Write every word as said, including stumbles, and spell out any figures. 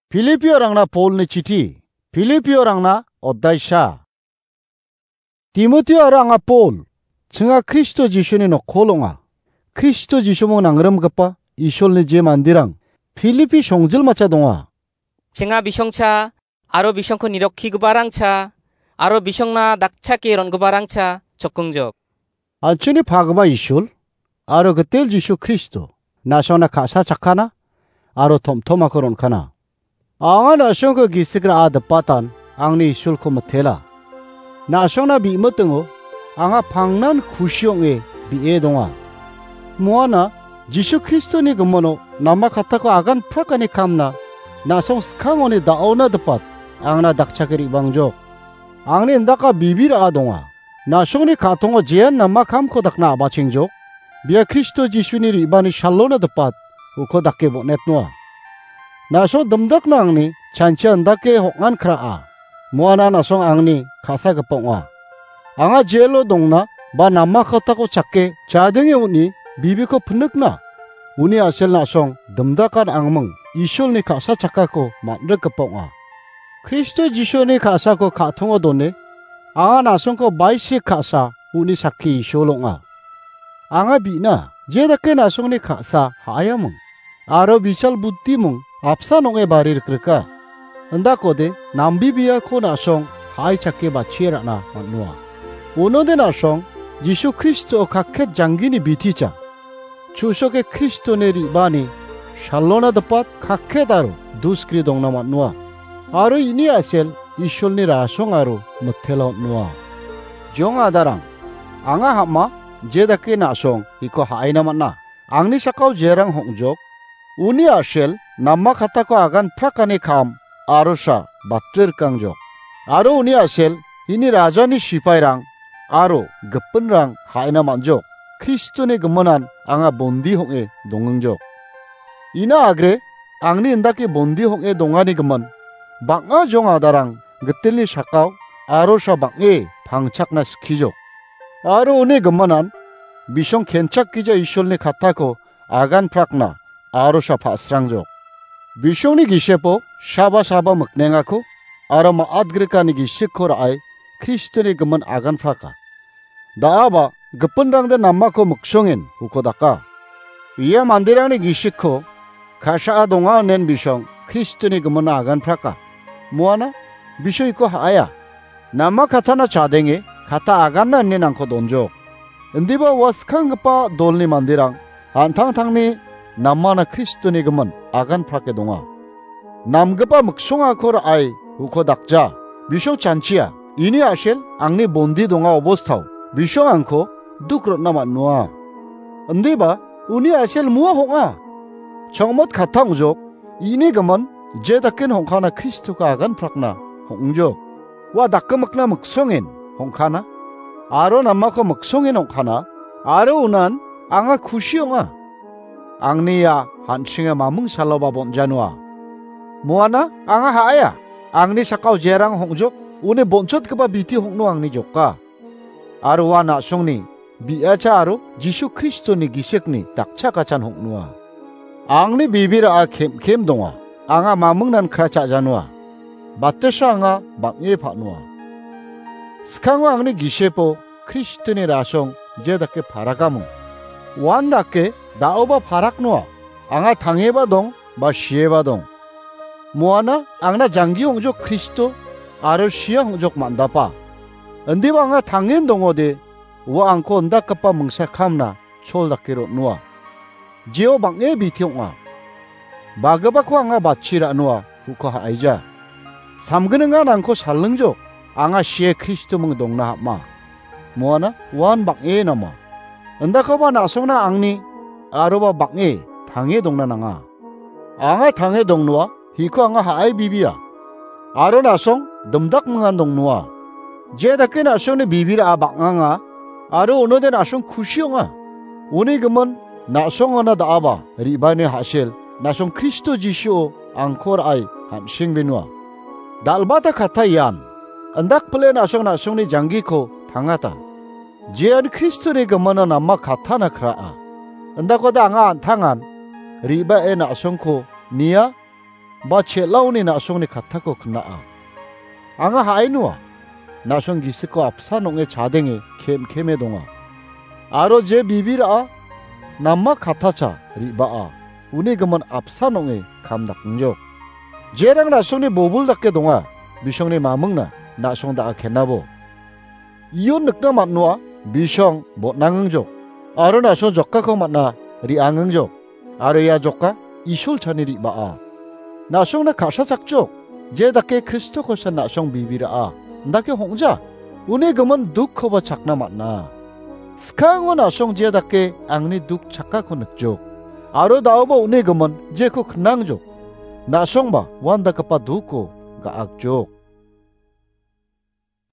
Filipiorangna Polni chiti. Filipiorangna oddaisa. Timotio aro anga Pol, chinga Kristo Jisuni nokkol ong·a. Kristo Jisumung nangrimgipa Isolni je manderang Filipi songjilmacha donga. Chinga bisongcha, aro bisongko nirokkigiparangcha, aro bisongna dakchake ron·giparangcha chokongjok. An·chingni pagipa Isol aro gitel Jisu Kristo, na·songna ka·sa chakkana aro tom·tomako ron·kana. Anga na·songko gisik ra·a dipatan angni Isolko mitela. Na·songna bi·mitingo anga pangnan kusi ong·e bi·e donga. Moana Jisu Kristoni gimino nama kattako agan prakani kamna na·song skangoni da·ona dipat angna dakchake re·bangjok. Angni indaka bibi ra·a donga. Na·songni ka·tongo jean nama kamko dakna abachengjok. Bia Kristo Jisuni re·bani salona dipat uko dake bon·etnoa. Na·song dimdakna angni chanchia indake hong·an kra·a. Moana na·song angni ka·sagipa ong·a. Anga jelo dongna ba nama kattako chake chadenge on·e bibiko pinikna uni a·sel na·song dimdakan angming Isolni ka·sa chakkako man·rikgipa ong·a. Kristo Jisuni ka·sako ka·tongo done, anga na·songko baisik ka·sa uni sakki Isol ong·a. Anga bi·na, je dake na·songni ka·sa ha·aiaming, aro bijal budiming apsan ong·e bari rikrika. Indakode nambibiako na·song ha·ai chake batchie ra·na man·noa. Unode na·song Jisu Kristo kakket janggini biticha. Chu·soke Kristoni re·baani salona dipat kakket aro duskri dongna man·noa. Aro ini a·sel Isolni rasong aro mitela on·noa. Jong adarang, anga ham·a je dake na·song iko ha·aina man·a. Angni sakao jerang hong·jok, uni a·sel nama kattako agan prakani kam arosa batre rikangjok. Aro uni a·sel ini rajani sipairang aro gipinrang ha·ina man·jok. Kristoni giminan anga bondi hong·e dongengjok. Ina agre angni indake bondi hong·e dongani gimin bang·a jong adarang gitelni sakao arosa bang·e pangchakna skijok. Aro uni giminan bisong kenchakgija Isolni kattako agan prakna arosa pa·srangjok. Bisongni gisepo saba saba miknengako aro ma·atgrikani gisikko ra·e Kristoni gimin agan praka. Da·aba gipinrangde namako miksongen hukodaka. Ia manderangni gisikko ka·saa donga inen bisong Kristoni giminna agan praka. Moana bisong iko ha·aia. Nama kattana chadenge katta aganna ine nangko donjok. Indiba ua skanggipa dolni manderang an·tangtangni namana Kristoni gimin agan prake donga. Namgipa miksongako ra·e uko dakja. Bisong chanchia. Ini a·sel angni bondi donga obostao bisong angko duk rotna man·noa. Indiba uni a·sel mua hong·a. Chongmot katta ong·jok. Ini gimin je daken hong·kana Kristoko agan prakna hong·jok. Ua dakgimikna miksongen hong·kana aro namako miksongen hong·kana aro unan anga kusi ong·a. Angni ia han·singa maming saloba bon·janoa. Moana anga ha·aia. Angni sakao jerang hong·jok, uni bonchotgipa biti hong·no angni joka. Aro ua na·songni bi·acha aro Jisu Kristoni gisikni dakchakachan hong·noa. Angni bibira·a kem·kem donga. Anga mamingnan kra cha·janoa. Batesa anga bang·e pa·noa. Skango angni gisepo Kristoni rasong je dake parakamung. Uan dake da·oba paraknoa. Anga tangeba dong, ba sieba dong. Moana angna janggi ong·jok Kristo aro sia ong·jok man·dapa. Indiba anga tangen dongode, ua angko indakgipa mingsa kamna chol dake ron·noa. Jeo bang·e biti ong·a. Bagipako anga batchi ra·noa, uko ha·aija. Samgningan angko salingjok, anga sie Kristoming dongna ham·a. Moana uan bang·e nama. Indakoba na·songna angni aroba bang·e tange dongna nanga. Anga tange dongnoa, hiko anga ha·ai bibia. Aro na·song dimdakmingan dongnoa. Je dake na·songni bibira·a bang·anga, aro onode na·song kusi ong·a. Uni gimin na·songona da·aba re·baini ha·sel, na·song Kristo Jisuo angko ra·e han·sengbenua. Dal·bata katta ian, indakpile na·song na·songni janggiko tangata. Jean Kristoni gimina nama kattana kra·a. Indakode anga an·tangan re·bae na·songko nia, ba chel·aoni na·songni kattako kna'a. Anga ha·ainoa, na·song gisiko apsan ong·e chadenge kem·keme donga. Aro je bibi ra·a, nama kattacha re·baa, uni gimin apsan ong·e kam dakngjok. Jerang na·songni bobil dake donga, bisongni mamingna na·song da·a kenabo. Ion nikna man·noa, bisong botnangengjok, aro na·song jokkako man·a re·angengjok, aro ia jokka Isolchani re·baa. Na·songna ka·sachakjok, je dake Kristokosa na·song bibi ra·a, indake hong·ja, uni gimin dukkoba chakna man·a. Skango na·song je dake angni duk chakako nikjok, aro da·oba uni gimin jeko knangjok, na·songba uandakgipa dukko ga·akjok.